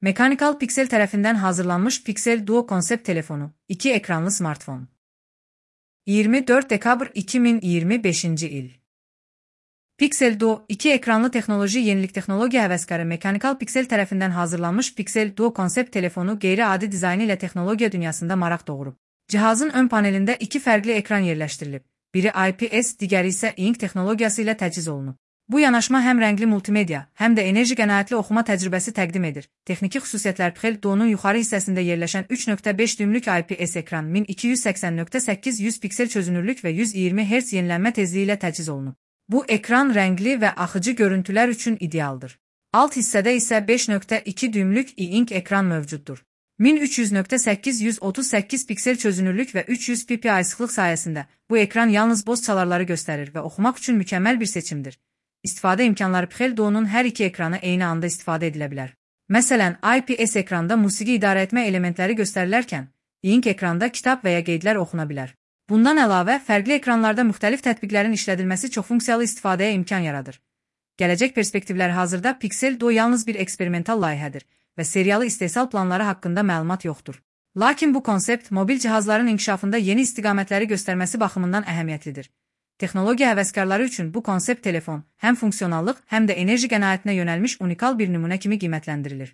Mechanical Pixel tərəfindən hazırlanmış Pixel Duo konsept telefonu, 2 ekranlı smartfon. 24 dekabr 2025-ci il. Pixel Duo, 2 ekranlı texnoloji yenilik texnologiya həvəskarı Mechanical Pixel tərəfindən hazırlanmış Pixel Duo konsept telefonu qeyri-adi dizaynı ilə texnologiya dünyasında maraq doğurub. Cihazın ön panelində 2 fərqli ekran yerləşdirilib. Biri IPS, digəri isə ink texnologiyası ilə təchiz olunub. Bu yanaşma həm rəngli multimedia, həm də enerji qənaətli oxuma təcrübəsi təqdim edir. Texniki xüsusiyyətlər Pixel Duo'nun yuxarı hissəsində yerləşən 3.5 düymlük IPS ekran 1280x800 piksel çözünürlük və 120 Hz yenilənmə tezliyi ilə təchiz olunub. Bu ekran rəngli və axıcı görüntülər üçün idealdır. Alt hissədə isə 5.2 düymlük e-ink ekran mövcuddur. 1300x838 piksel çözünürlük və 300 ppi sıxlıq sayəsində bu ekran yalnız boz çalarları göstərir və oxumaq üçün mükəmməl bir seçimdir. İstifadə imkanları Pixel Duo'nun hər iki ekranı eyni anda istifadə edilə bilər. Məsələn, IPS ekranda musiqi idarə etmə elementləri göstərilərkən, e-ink ekranda kitab və ya qeydlər oxuna bilər. Bundan əlavə, fərqli ekranlarda müxtəlif tətbiqlərin işlədilməsi çoxfunksiyalı istifadəyə imkan yaradır. Gələcək perspektivlər hazırda Pixel Duo yalnız bir eksperimental layihədir və seriyalı istehsal planları haqqında məlumat yoxdur. Lakin bu konsept mobil cihazların inkişafında yeni istiqamətləri göstərməsi baxımından əhəmiyyətlidir. Texnologiya həvəskarları üçün bu konsept telefon həm funksionallıq, həm də enerji qənaətinə yönəlmiş unikal bir nümunə kimi qiymətləndirilir.